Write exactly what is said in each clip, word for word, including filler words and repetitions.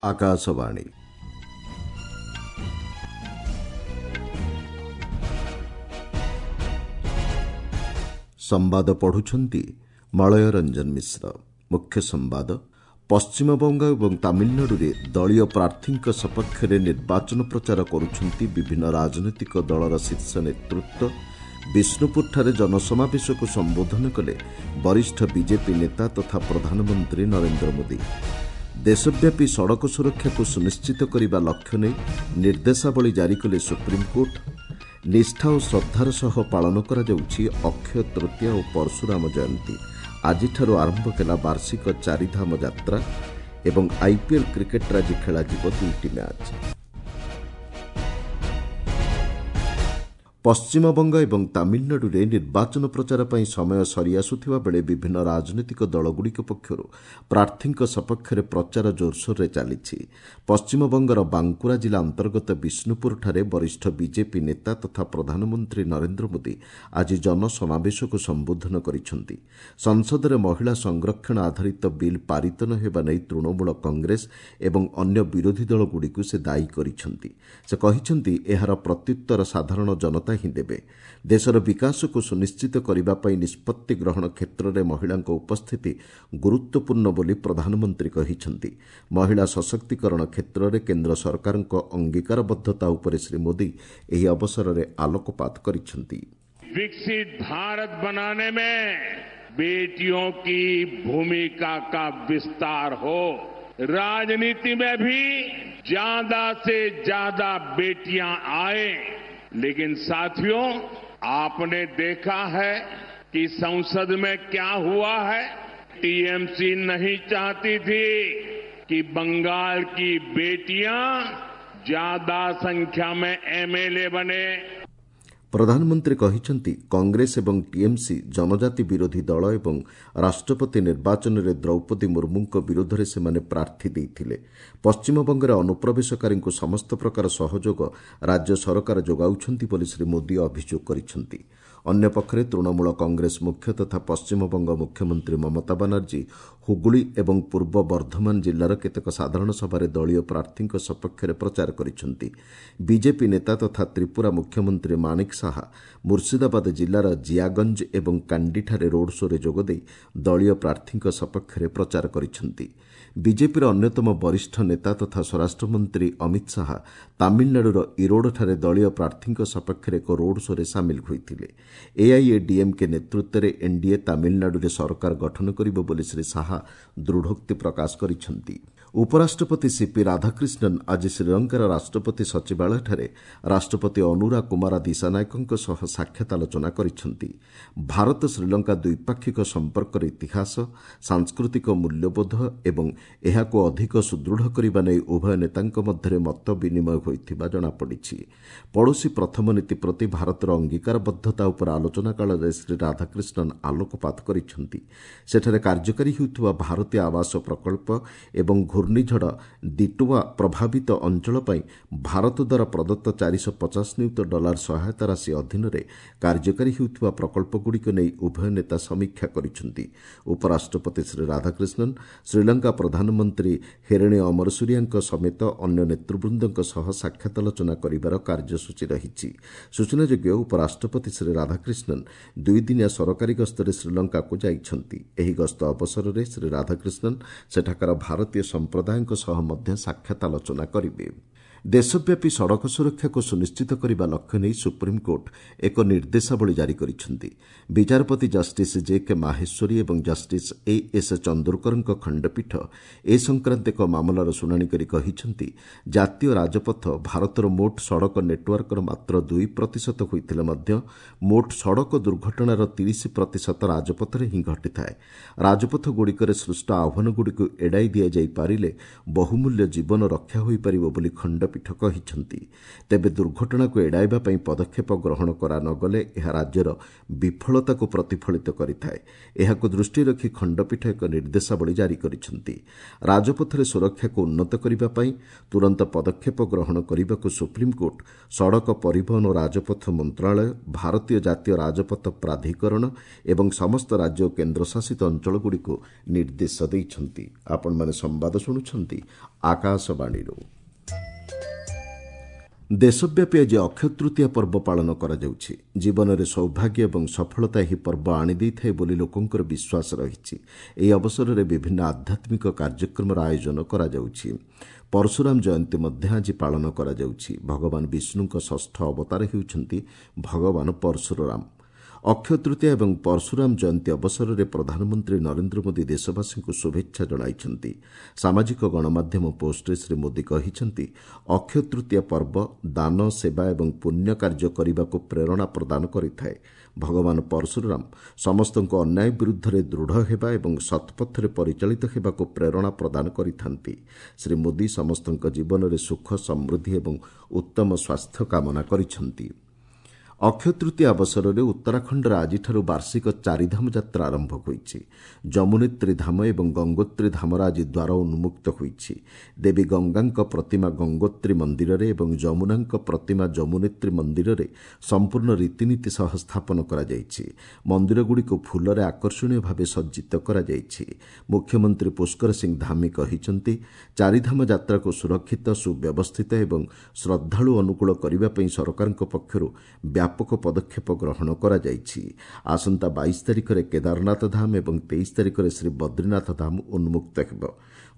ଆକାଶବାଣୀ ସମ୍ବାଦ ପଢୁଛନ୍ତି ମଳୟ ରଞ୍ଜନ ମିଶ୍ର। ମୁଖ୍ୟ ସମ୍ବାଦ। ପଶ୍ଚିମବଙ୍ଗ ଏବଂ ତାମିଲନାଡୁରେ ଦଳୀୟ ପ୍ରାର୍ଥୀଙ୍କ ସପକ୍ଷରେ ନିର୍ବାଚନ ପ୍ରଚାର କରୁଛନ୍ତି ବିଭିନ୍ନ ରାଜନୈତିକ ଦଳର ଶୀର୍ଷ ନେତୃତ୍ୱ। ବିଷ୍ଣୁପୁରଠାରେ ଜନସମାବେଶକୁ ସମ୍ବୋଧନ କଲେ ବରିଷ୍ଠ ବିଜେପି ନେତା ତଥା ପ୍ରଧାନମନ୍ତ୍ରୀ ନରେନ୍ଦ୍ର ମୋଦି। ଦେଶବ୍ୟାପୀ ସଡ଼କ ସୁରକ୍ଷାକୁ ସୁନିଶ୍ଚିତ କରିବା ଲକ୍ଷ୍ୟ ନେଇ ନିର୍ଦ୍ଦେଶାବଳୀ ଜାରି କଲେ ସୁପ୍ରିମକୋର୍ଟ। ନିଷ୍ଠା ଓ ଶ୍ରଦ୍ଧାର ସହ ପାଳନ କରାଯାଉଛି ଅକ୍ଷୟ ତୃତୀୟା ଓ ପରଶୁରାମ ଜୟନ୍ତୀ। ଆଜିଠାରୁ ଆରମ୍ଭ ହେଲା ବାର୍ଷିକ ଚାରିଧାମ ଯାତ୍ରା ଏବଂ ଆଇପିଏଲ୍ କ୍ରିକେଟ୍ରେ ଆଜି ଖେଳାଯିବ ଦୁଇଟି ମ୍ୟାଚ୍। ପଶ୍ଚିମବଙ୍ଗ ଏବଂ ତାମିଲନାଡୁରେ ନିର୍ବାଚନ ପ୍ରଚାର ପାଇଁ ସମୟ ସରିଆସୁଥିବା ବେଳେ ବିଭିନ୍ନ ରାଜନୈତିକ ଦଳଗୁଡ଼ିକ ପକ୍ଷରୁ ପ୍ରାର୍ଥୀଙ୍କ ସପକ୍ଷରେ ପ୍ରଚାର ଜୋରସୋରରେ ଚାଲିଛି। ପଶ୍ଚିମବଙ୍ଗର ବାଙ୍କୁରା ଜିଲ୍ଲା ଅନ୍ତର୍ଗତ ବିଷ୍ଣୁପୁରଠାରେ ବରିଷ୍ଠ ବିଜେପି ନେତା ତଥା ପ୍ରଧାନମନ୍ତ୍ରୀ ନରେନ୍ଦ୍ର ମୋଦି ଆଜି ଜନସମାବେଶକୁ ସମ୍ବୋଧନ କରିଛନ୍ତି। ସଂସଦରେ ମହିଳା ସଂରକ୍ଷଣ ଆଧାରିତ ବିଲ୍ ପାରିତ ନ ହେବା ନେଇ ତୃଣମୂଳ କଂଗ୍ରେସ ଏବଂ ଅନ୍ୟ ବିରୋଧୀ ଦଳଗୁଡ଼ିକୁ ସେ ଦାୟୀ କରିଛନ୍ତି। ସେ କହିଛନ୍ତି, ଏହାର ପ୍ରତ୍ୟୁତ୍ତର ସାଧାରଣ ଜନତା ହିଁ ଦେବେ। ଦେଶର ବିକାଶକୁ ସୁନିଶ୍ଚିତ କରିବା ପାଇଁ ନିଷ୍ପତ୍ତି ଗ୍ରହଣ କ୍ଷେତ୍ରରେ ମହିଳାଙ୍କ ଉପସ୍ଥିତି ଗୁରୁତ୍ୱପୂର୍ଣ୍ଣ ବୋଲି ପ୍ରଧାନମନ୍ତ୍ରୀ କହିଛନ୍ତି। ମହିଳା ସଶକ୍ତିକରଣ କ୍ଷେତ୍ରରେ କେନ୍ଦ୍ର ସରକାରଙ୍କ ଅଙ୍ଗୀକାରବଦ୍ଧତା ଉପରେ ଶ୍ରୀ ମୋଦି ଏହି ଅବସରରେ ଆଲୋକପାତ କରିଛନ୍ତି। विकसित भारत बनाने में बेटियों की भूमिका का विस्तार हो, राजनीति में भी ज्यादा से ज्यादा बेटियां आए। लेकिन साथियों, आपने देखा है कि संसद में क्या हुआ है। टीएमसी नहीं चाहती थी कि बंगाल की बेटियां ज्यादा संख्या में एमएलए बने। ପ୍ରଧାନମନ୍ତ୍ରୀ କହିଛନ୍ତି, କଂଗ୍ରେସ ଏବଂ ଟିଏମ୍ସି ଜନଜାତି ବିରୋଧୀ ଦଳ ଏବଂ ରାଷ୍ଟ୍ରପତି ନିର୍ବାଚନରେ ଦ୍ରୌପଦୀ ମୁର୍ମୁଙ୍କ ବିରୋଧରେ ସେମାନେ ପ୍ରାର୍ଥୀ ଦେଇଥିଲେ। ପଶ୍ଚିମବଙ୍ଗରେ ଅନୁପ୍ରବେଶକାରୀଙ୍କୁ ସମସ୍ତ ପ୍ରକାର ସହଯୋଗ ରାଜ୍ୟ ସରକାର ଯୋଗାଉଛନ୍ତି ବୋଲି ଶ୍ରୀ ମୋଦି ଅଭିଯୋଗ କରିଛନ୍ତି। ଅନ୍ୟପକ୍ଷରେ ତୃଣମୂଳ କଂଗ୍ରେସ ମୁଖ୍ୟ ତଥା ପଶ୍ଚିମବଙ୍ଗ ମୁଖ୍ୟମନ୍ତ୍ରୀ ମମତା ବାନାର୍ଜୀ ହୁଗୁଳି ଏବଂ ପୂର୍ବ ବର୍ଦ୍ଧମାନ ଜିଲ୍ଲାର କେତେକ ସାଧାରଣ ସଭାରେ ଦଳୀୟ ପ୍ରାର୍ଥୀଙ୍କ ସପକ୍ଷରେ ପ୍ରଚାର କରିଛନ୍ତି। ବିଜେପି ନେତା ତଥା ତ୍ରିପୁରା ମୁଖ୍ୟମନ୍ତ୍ରୀ ମାଣିକ ସାହା ମୁର୍ଶିଦାବାଦ ଜିଲ୍ଲାର ଜିଆଗଞ୍ଜ ଏବଂ କାଣ୍ଡିଠାରେ ରୋଡ୍ ଶୋରେ ଯୋଗଦେଇ ଦଳୀୟ ପ୍ରାର୍ଥୀଙ୍କ ସପକ୍ଷରେ ପ୍ରଚାର କରିଛନ୍ତି। ବିଜେପିର ଅନ୍ୟତମ ବରିଷ୍ଠ ନେତା ତଥା ସ୍ୱରାଷ୍ଟ୍ରମନ୍ତ୍ରୀ ଅମିତ ଶାହା ତାମିଲନାଡୁର ଇରୋଡଠାରେ ଦଳୀୟ ପ୍ରାର୍ଥୀଙ୍କ ସପକ୍ଷରେ ଏକ ରୋଡ୍ ଶୋରେ ସାମିଲ ହୋଇଥିଲେ। ଏଆଇଏଡିଏମ୍କେ ନେତୃତ୍ୱରେ ଏନ୍ଡିଏ ତାମିଲନାଡୁରେ ସରକାର ଗଠନ କରିବ ବୋଲି ଶ୍ରୀ ଶାହା ଦୃଢ଼ୋକ୍ତି ପ୍ରକାଶ କରିଛନ୍ତି। ଉପରାଷ୍ଟ୍ରପତି ସିପି ରାଧାକ୍ରିଷ୍ଣନ୍ ଆଜି ଶ୍ରୀଲଙ୍କାର ରାଷ୍ଟ୍ରପତି ସଚିବାଳୟଠାରେ ରାଷ୍ଟ୍ରପତି ଅନୁରା କୁମାରା ଦିଶାନାୟକଙ୍କ ସହ ସାକ୍ଷାତ ଆଲୋଚନା କରିଛନ୍ତି। ଭାରତ ଶ୍ରୀଲଙ୍କା ଦ୍ୱିପାକ୍ଷିକ ସମ୍ପର୍କର ଇତିହାସ, ସାଂସ୍କୃତିକ ମୂଲ୍ୟବୋଧ ଏବଂ ଏହାକୁ ଅଧିକ ସୁଦୃଢ଼ କରିବା ନେଇ ଉଭୟ ନେତାଙ୍କ ମଧ୍ୟରେ ମତ ବିନିମୟ ହୋଇଥିବା ଜଣାପଡ଼ିଛି। ପଡ଼ୋଶୀ ପ୍ରଥମ ନୀତି ପ୍ରତି ଭାରତର ଅଙ୍ଗୀକାରବଦ୍ଧତା ଉପରେ ଆଲୋଚନା କାଳରେ ଶ୍ରୀ ରାଧାକ୍ରିଷ୍ଣନ୍ ଆଲୋକପାତ କରିଛନ୍ତି। ସେଠାରେ କାର୍ଯ୍ୟକାରୀ ହେଉଥିବା ଭାରତୀୟ ଆବାସ ପ୍ରକଳ୍ପ ଏବଂ ଘୂର୍ଣ୍ଣିଝଡ଼ ଦିଟୱା ପ୍ରଭାବିତ ଅଞ୍ଚଳ ପାଇଁ ଭାରତ ଦ୍ୱାରା ପ୍ରଦତ୍ତ ଚାରିଶହ ପଚାଶ ନିୟୁତ ଡଲାର ସହାୟତା ରାଶି ଅଧୀନରେ କାର୍ଯ୍ୟକାରୀ ହେଉଥିବା ପ୍ରକଳ୍ପଗୁଡ଼ିକୁ ନେଇ ଉଭୟ ନେତା ସମୀକ୍ଷା କରିଛନ୍ତି। ଉପରାଷ୍ଟ୍ରପତି ଶ୍ରୀ ରାଧାକ୍ରିଷ୍ଣନ୍ ଶ୍ରୀଲଙ୍କା ପ୍ରଧାନମନ୍ତ୍ରୀ ହେରେଣୀ ଅମରସୁରିଆଙ୍କ ସମେତ ଅନ୍ୟ ନେତୃବୃନ୍ଦଙ୍କ ସହ ସାକ୍ଷାତ ଆଲୋଚନା କରିବାର କାର୍ଯ୍ୟସୂଚୀ ରହିଛି। ସୂଚନାଯୋଗ୍ୟ, ଉପରାଷ୍ଟ୍ରପତି ଶ୍ରୀ ରାଧାକ୍ରିଷ୍ଣନ୍ ଦୁଇଦିନିଆ ସରକାରୀ ଗସ୍ତରେ ଶ୍ରୀଲଙ୍କାକୁ ଯାଇଛନ୍ତି। ଏହି ଗସ୍ତ ଅବସରରେ ଶ୍ରୀ ରାଧାକ୍ରିଷ୍ଣନ୍ ସେଠାକାର ଭାରତୀୟ ସମ୍ପ୍ରଦାୟଙ୍କ ସହ ମଧ୍ୟ ସାକ୍ଷାତ ଆଲୋଚନା କରିବେ। ଦେଶବ୍ୟାପୀ ସଡ଼କ ସୁରକ୍ଷାକୁ ସୁନିଶ୍ଚିତ କରିବା ଲକ୍ଷ୍ୟ ନେଇ ସୁପ୍ରିମକୋର୍ଟ ଏକ ନିର୍ଦ୍ଦେଶାବଳୀ ଜାରି କରିଛନ୍ତି। ବିଚାରପତି ଜଷ୍ଟିସ୍ ଜେ କେ ମାହେଶ୍ୱରୀ ଏବଂ ଜଷ୍ଟିସ୍ ଏ ଏସ୍ ଚନ୍ଦୁରକରଙ୍କ ଖଣ୍ଡପୀଠ ଏ ସଂକ୍ରାନ୍ତ ଏକ ମାମଲାର ଶୁଣାଣି କରି କହିଛନ୍ତି, ଜାତୀୟ ରାଜପଥ ଭାରତର ମୋଟ ସଡ଼କ ନେଟୱାର୍କର ମାତ୍ର ଦୁଇ ପ୍ରତିଶତ ହୋଇଥିଲେ ମଧ୍ୟ ମୋଟ ସଡ଼କ ଦୁର୍ଘଟଣାର ତିରିଶ ପ୍ରତିଶତ ରାଜପଥରେ ହିଁ ଘଟିଥାଏ। ରାଜପଥଗୁଡ଼ିକରେ ସୃଷ୍ଟ ଆହ୍ୱାନଗୁଡ଼ିକୁ ଏଡ଼ାଇ ଦିଆଯାଇପାରିଲେ ବହୁମୂଲ୍ୟ ଜୀବନ ରକ୍ଷା ହୋଇପାରିବ ବୋଲି ଖଣ୍ଡପୀଠ ଖଣ୍ଡପୀଠ କହିଛନ୍ତି। ତେବେ ଦୁର୍ଘଟଣାକୁ ଏଡ଼ାଇବା ପାଇଁ ପଦକ୍ଷେପ ଗ୍ରହଣ କରାନଗଲେ ଏହା ରାଜ୍ୟର ବିଫଳତାକୁ ପ୍ରତିଫଳିତ କରିଥାଏ। ଏହାକୁ ଦୃଷ୍ଟିରେ ରଖି ଖଣ୍ଡପୀଠ ଏକ ନିର୍ଦ୍ଦେଶାବଳୀ ଜାରି କରିଛନ୍ତି। ରାଜପଥରେ ସୁରକ୍ଷାକୁ ଉନ୍ନତ କରିବା ପାଇଁ ତୁରନ୍ତ ପଦକ୍ଷେପ ଗ୍ରହଣ କରିବାକୁ ସୁପ୍ରିମକୋର୍ଟ ସଡ଼କ ପରିବହନ ଓ ରାଜପଥ ମନ୍ତ୍ରଣାଳୟ, ଭାରତୀୟ ଜାତୀୟ ରାଜପଥ ପ୍ରାଧିକରଣ ଏବଂ ସମସ୍ତ ରାଜ୍ୟ ଓ କେନ୍ଦ୍ରଶାସିତ ଅଞ୍ଚଳଗୁଡ଼ିକୁ ନିର୍ଦ୍ଦେଶ ଦେଇଛନ୍ତି। ଆପଣମାନେ ସମ୍ବାଦ ଶୁଣୁଛନ୍ତି ଆକାଶବାଣୀରୁ। ଦେଶବ୍ୟାପୀ ଆଜି ଅକ୍ଷୟ ତୃତୀୟା ପର୍ବ ପାଳନ କରାଯାଉଛି। ଜୀବନରେ ସୌଭାଗ୍ୟ ଏବଂ ସଫଳତା ଏହି ପର୍ବ ଆଣିଦେଇଥାଏ ବୋଲି ଲୋକଙ୍କର ବିଶ୍ୱାସ ରହିଛି। ଏହି ଅବସରରେ ବିଭିନ୍ନ ଆଧ୍ୟାତ୍ମିକ କାର୍ଯ୍ୟକ୍ରମର ଆୟୋଜନ କରାଯାଉଛି। ପରଶୁରାମ ଜୟନ୍ତୀ ମଧ୍ୟ ଆଜି ପାଳନ କରାଯାଉଛି। ଭଗବାନ ବିଷ୍ଣୁଙ୍କ ଷଷ୍ଠ ଅବତାର ହେଉଛନ୍ତି ଭଗବାନ ପରଶୁରାମ। ଅକ୍ଷୟ ତୃତୀୟା ଏବଂ ପରଶୁରାମ ଜୟନ୍ତୀ ଅବସରରେ ପ୍ରଧାନମନ୍ତ୍ରୀ ନରେନ୍ଦ୍ର ମୋଦି ଦେଶବାସୀଙ୍କୁ ଶୁଭେଚ୍ଛା ଜଣାଇଛନ୍ତି। ସାମାଜିକ ଗଣମାଧ୍ୟମ ପୋଷ୍ଟରେ ଶ୍ରୀ ମୋଦି କହିଛନ୍ତି, ଅକ୍ଷୟ ତୃତୀୟା ପର୍ବ ଦାନ, ସେବା ଏବଂ ପୁଣ୍ୟ କାର୍ଯ୍ୟ କରିବାକୁ ପ୍ରେରଣା ପ୍ରଦାନ କରିଥାଏ। ଭଗବାନ ପରଶୁରାମ ସମସ୍ତଙ୍କୁ ଅନ୍ୟାୟ ବିରୁଦ୍ଧରେ ଦୃଢ଼ ହେବା ଏବଂ ସତ୍ପଥରେ ପରିଚାଳିତ ହେବାକୁ ପ୍ରେରଣା ପ୍ରଦାନ କରିଥାନ୍ତି। ଶ୍ରୀ ମୋଦି ସମସ୍ତଙ୍କ ଜୀବନରେ ସୁଖ, ସମୃଦ୍ଧି ଏବଂ ଉତ୍ତମ ସ୍ୱାସ୍ଥ୍ୟ କାମନା କରିଛନ୍ତି। ଅକ୍ଷୟ ତୃତୀୟା ଅବସରରେ ଉତ୍ତରାଖଣ୍ଡରେ ଆଜିଠାରୁ ବାର୍ଷିକ ଚାରିଧାମ ଯାତ୍ରା ଆରମ୍ଭ ହୋଇଛି। ଯମୁନେତ୍ରୀ ଧାମ ଏବଂ ଗଙ୍ଗୋତ୍ରୀ ଧାମର ଆଜି ଦ୍ୱାର ଉନ୍ମୁକ୍ତ ହୋଇଛି। ଦେବୀ ଗଙ୍ଗାଙ୍କ ପ୍ରତିମା ଗଙ୍ଗୋତ୍ରୀ ମନ୍ଦିରରେ ଏବଂ ଯମୁନାଙ୍କ ପ୍ରତିମା ଯମୁନେତ୍ରୀ ମନ୍ଦିରରେ ସମ୍ପୂର୍ଣ୍ଣ ରୀତିନୀତି ସହ ସ୍ଥାପନ କରାଯାଇଛି। ମନ୍ଦିରଗୁଡ଼ିକୁ ଫୁଲରେ ଆକର୍ଷଣୀୟ ଭାବେ ସଜ୍ଜିତ କରାଯାଇଛି। ମୁଖ୍ୟମନ୍ତ୍ରୀ ପୁଷ୍କର ସିଂ ଧାମି କହିଛନ୍ତି, ଚାରିଧାମ ଯାତ୍ରାକୁ ସୁରକ୍ଷିତ, ସୁବ୍ୟବସ୍ଥିତ ଏବଂ ଶ୍ରଦ୍ଧାଳୁ ଅନୁକୂଳ କରିବା ପାଇଁ ସରକାରଙ୍କ ପକ୍ଷରୁ ବ୍ୟାପକ ପଦକ୍ଷେପ ଗ୍ରହଣ କରାଯାଇଛି। ଆସନ୍ତା ବାଇଶ ତାରିଖରେ କେଦାରନାଥ ଧାମ ଏବଂ ତେଇଶ ତାରିଖରେ ଶ୍ରୀ ବଦ୍ରିନାଥ ଧାମ ଉନ୍ମୁକ୍ତ ହେବ।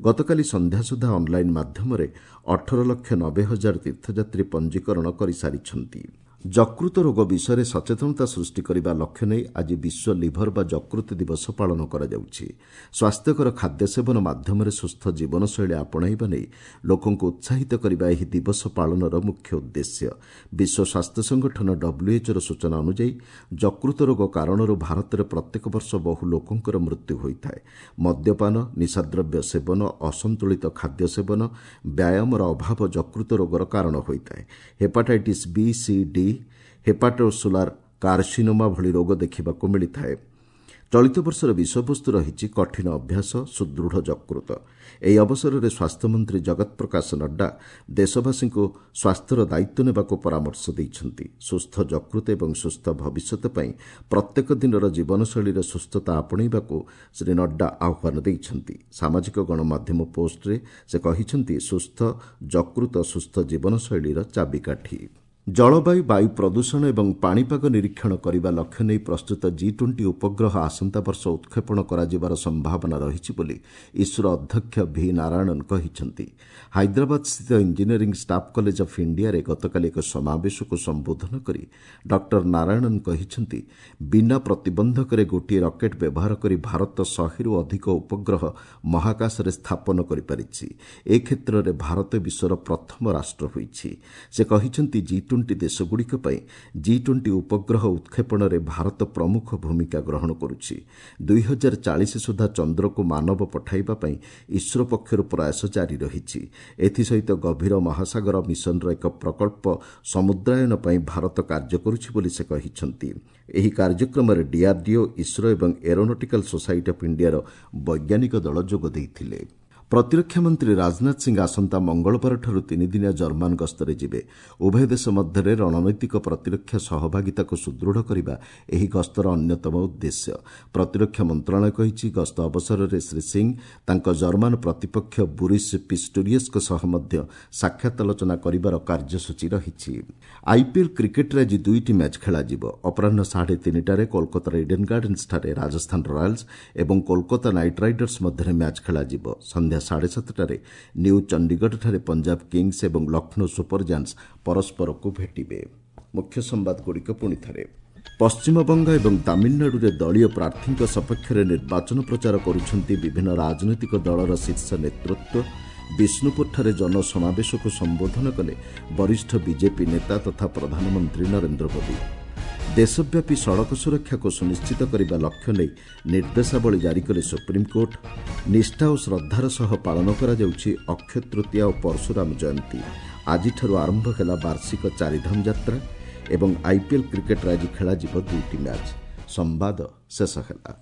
ଗତକାଲି ସନ୍ଧ୍ୟା ସୁଦ୍ଧା ଅନ୍ଲାଇନ୍ ମାଧ୍ୟମରେ ଅଠର ଲକ୍ଷ ନବେ ହଜାର ତୀର୍ଥଯାତ୍ରୀ ପଞ୍ଜୀକରଣ କରିସାରିଛନ୍ତି। ଯକୃତ ରୋଗ ବିଷୟରେ ସଚେତନତା ସୃଷ୍ଟି କରିବା ଲକ୍ଷ୍ୟ ନେଇ ଆଜି ବିଶ୍ୱ ଲିଭର ବା ଯକୃତ ଦିବସ ପାଳନ କରାଯାଉଛି। ସ୍ୱାସ୍ଥ୍ୟକର ଖାଦ୍ୟ ସେବନ ମାଧ୍ୟମରେ ସୁସ୍ଥ ଜୀବନଶୈଳୀ ଆପଣାଇବା ନେଇ ଲୋକଙ୍କୁ ଉତ୍ସାହିତ କରିବା ଏହି ଦିବସ ପାଳନର ମୁଖ୍ୟ ଉଦ୍ଦେଶ୍ୟ। ବିଶ୍ୱ ସ୍ୱାସ୍ଥ୍ୟ ସଂଗଠନ ଡବ୍ଲ୍ୟୁଏଚ୍ଓର ସୂଚନା ଅନୁଯାୟୀ ଯକୃତ ରୋଗ କାରଣରୁ ଭାରତରେ ପ୍ରତ୍ୟେକ ବର୍ଷ ବହୁ ଲୋକଙ୍କର ମୃତ୍ୟୁ ହୋଇଥାଏ। ମଦ୍ୟପାନ, ନିଶାଦ୍ରବ୍ୟ ସେବନ, ଅସନ୍ତୁଳିତ ଖାଦ୍ୟ ସେବନ, ବ୍ୟାୟାମର ଅଭାବ ଯକୃତ ରୋଗର କାରଣ ହୋଇଥାଏ। Hepatitis B, C, D, hepatocellular carcinoma ଭଳି ରୋଗ ଦେଖିବାକୁ ମିଳିଥାଏ। ଚଳିତ ବର୍ଷର ବିଷୟବସ୍ତୁ ରହିଛି କଠିନ ଅଭ୍ୟାସ, ସୁଦୃଢ଼ ଯକୃତ। ଏହି ଅବସରରେ ସ୍ୱାସ୍ଥ୍ୟମନ୍ତ୍ରୀ ଜଗତ ପ୍ରକାଶ ନଡ୍ଡା ଦେଶବାସୀଙ୍କୁ ସ୍ୱାସ୍ଥ୍ୟର ଦାୟିତ୍ୱ ନେବାକୁ ପରାମର୍ଶ ଦେଇଛନ୍ତି। ସୁସ୍ଥ ଯକୃତ ଏବଂ ସୁସ୍ଥ ଭବିଷ୍ୟତ ପାଇଁ ପ୍ରତ୍ୟେକ ଦିନର ଜୀବନଶୈଳୀରେ ସୁସ୍ଥତା ଆପଣେଇବାକୁ ଶ୍ରୀ ନଡ୍ଡା ଆହ୍ୱାନ ଦେଇଛନ୍ତି। ସାମାଜିକ ଗଣମାଧ୍ୟମ ପୋଷ୍ଟରେ ସେ କହିଛନ୍ତି, ସୁସ୍ଥ ଯକୃତ ସୁସ୍ଥ ଜୀବନଶୈଳୀର ଚାବିକାଠି। ଜଳବାୟୁ, ବାୟୁ ପ୍ରଦୂଷଣ ଏବଂ ପାଣିପାଗ ନିରୀକ୍ଷଣ କରିବା ଲକ୍ଷ୍ୟ ନେଇ ପ୍ରସ୍ତୁତ ଜି ଟ୍ୱେଣ୍ଟି ଉପଗ୍ରହ ଆସନ୍ତା ବର୍ଷ ଉତ୍କ୍ଷେପଣ କରାଯିବାର ସମ୍ଭାବନା ରହିଛି ବୋଲି ଇସ୍ରୋ ଅଧ୍ୟକ୍ଷ ଭି ନାରାୟଣନ୍ କହିଛନ୍ତି। ହାଇଦ୍ରାବାଦସ୍ଥିତ ଇଞ୍ଜିନିୟରିଂ ଷ୍ଟାଫ୍ କଲେଜ ଅଫ୍ ଇଣ୍ଡିଆରେ ଗତକାଲି ଏକ ସମାବେଶକୁ ସମ୍ବୋଧନ କରି ଡକ୍ଟର ନାରାୟଣନ୍ କହିଛନ୍ତି, ବିନା ପ୍ରତିବନ୍ଧକରେ ଗୋଟିଏ ରକେଟ୍ ବ୍ୟବହାର କରି ଭାରତ ଶହେରୁ ଅଧିକ ଉପଗ୍ରହ ମହାକାଶରେ ସ୍ଥାପନ କରିପାରିଛି। ଏ କ୍ଷେତ୍ରରେ ଭାରତ ବିଶ୍ୱର ପ୍ରଥମ ରାଷ୍ଟ୍ର ହୋଇଛି। ସେ କହିଛନ୍ତି, ଜି ଟ୍ୱେଣ୍ଟି ଦେଶଗୁଡ଼ିକ ପାଇଁ ଜି ଟ୍ୱେଣ୍ଟି ଉପଗ୍ରହ ଉତ୍କ୍ଷେପଣରେ ଭାରତ ପ୍ରମୁଖ ଭୂମିକା ଗ୍ରହଣ କରୁଛି। ଦୁଇ ହଜାର ଚାଳିଶ ସୁଦ୍ଧା ଚନ୍ଦ୍ରକୁ ମାନବ ପଠାଇବା ପାଇଁ ଇସ୍ରୋ ପକ୍ଷରୁ ପ୍ରୟାସ ଜାରି ରହିଛି। ଏଥିସହିତ ଗଭୀର ମହାସାଗର ମିଶନର ଏକ ପ୍ରକଳ୍ପ ସମୁଦ୍ରାୟନ ପାଇଁ ଭାରତ କାର୍ଯ୍ୟ କରୁଛି ବୋଲି ସେ କହିଛନ୍ତି। ଏହି କାର୍ଯ୍ୟକ୍ରମରେ ଡିଆର୍ଡିଓ, ଇସ୍ରୋ ଏବଂ ଏରୋନଟିକାଲ ସୋସାଇଟି ଅଫ୍ ଇଣ୍ଡିଆର ବୈଜ୍ଞାନିକ ଦଳ ଯୋଗ ଦେଇଥିଲେ। ପ୍ରତିରକ୍ଷା ମନ୍ତ୍ରୀ ରାଜନାଥ ସିଂ ଆସନ୍ତା ମଙ୍ଗଳବାରଠାରୁ ତିନିଦିନିଆ ଜର୍ମାନ ଗସ୍ତରେ ଯିବେ। ଉଭୟ ଦେଶ ମଧ୍ୟରେ ରଣନୈତିକ ପ୍ରତିରକ୍ଷା ସହଭାଗିତାକୁ ସୁଦୃଢ଼ କରିବା ଏହି ଗସ୍ତର ଅନ୍ୟତମ ଉଦ୍ଦେଶ୍ୟ। ପ୍ରତିରକ୍ଷା ମନ୍ତ୍ରଣାଳୟ କହିଛି, ଗସ୍ତ ଅବସରରେ ଶ୍ରୀ ସିଂ ତାଙ୍କ ଜର୍ମାନ ପ୍ରତିପକ୍ଷ ବୋରିସ୍ ପିଷ୍ଟୋରିୟସ୍ଙ୍କ ସହ ମଧ୍ୟ ସାକ୍ଷାତ ଆଲୋଚନା କରିବାର କାର୍ଯ୍ୟସୂଚୀ ରହିଛି। ଆଇପିଏଲ୍ କ୍ରିକେଟ୍ରେ ଆଜି ଦୁଇଟି ମ୍ୟାଚ୍ ଖେଳାଯିବ। ଅପରାହ୍ନ ସାଢ଼େ ତିନିଟାରେ କୋଲକାତାର ଇଡେନ୍ ଗାର୍ଡେନ୍ସଠାରେ ରାଜସ୍ଥାନ ରୟାଲ୍ସ ଏବଂ କୋଲକାତା ନାଇଟ୍ ରାଇଡର୍ସ ମଧ୍ୟରେ ମ୍ୟାଚ୍ ଖେଳାଯିବ। ସନ୍ଧ୍ୟା ସାଢ଼େ ସାତଟାରେ ନ୍ୟୁ ଚଣ୍ଡିଗଡ଼ଠାରେ ପଞ୍ଜାବ କିଙ୍ଗସ୍ ଏବଂ ଲକ୍ଷ୍ନୌ ସୁପର ଜାୟାଣ୍ଟସ୍ ପରସ୍ପରକୁ ଭେଟିବେ। ମୁଖ୍ୟ ସମ୍ବାଦଗୁଡ଼ିକ ପୁଣିଥରେ। ପଶ୍ଚିମବଙ୍ଗ ଏବଂ ତାମିଲନାଡୁରେ ଦଳୀୟ ପ୍ରାର୍ଥୀଙ୍କ ସପକ୍ଷରେ ନିର୍ବାଚନ ପ୍ରଚାର କରୁଛନ୍ତି ବିଭିନ୍ନ ରାଜନୈତିକ ଦଳର ଶୀର୍ଷ ନେତୃତ୍ୱ। ବିଷ୍ଣୁପୁରଠାରେ ଜନସମାବେଶକୁ ସମ୍ବୋଧନ କଲେ ବରିଷ୍ଠ ବିଜେପି ନେତା ତଥା ପ୍ରଧାନମନ୍ତ୍ରୀ ନରେନ୍ଦ୍ର ମୋଦି। ଦେଶବ୍ୟାପୀ ସଡ଼କ ସୁରକ୍ଷାକୁ ସୁନିଶ୍ଚିତ କରିବା ଲକ୍ଷ୍ୟ ନେଇ ନିର୍ଦ୍ଦେଶାବଳୀ ଜାରି କଲେ ସୁପ୍ରିମକୋର୍ଟ। ନିଷ୍ଠା ଓ ଶ୍ରଦ୍ଧାର ସହ ପାଳନ କରାଯାଉଛି ଅକ୍ଷୟ ତୃତୀୟା ଓ ପରଶୁରାମ ଜୟନ୍ତୀ। ଆଜିଠାରୁ ଆରମ୍ଭ ହେଲା ବାର୍ଷିକ ଚାରିଧାମ ଯାତ୍ରା ଏବଂ ଆଇପିଏଲ୍ କ୍ରିକେଟ୍ରେ ଆଜି ଖେଳାଯିବ ଦୁଇଟି ମ୍ୟାଚ୍। ସମ୍ବାଦ ଶେଷ ହେଲା।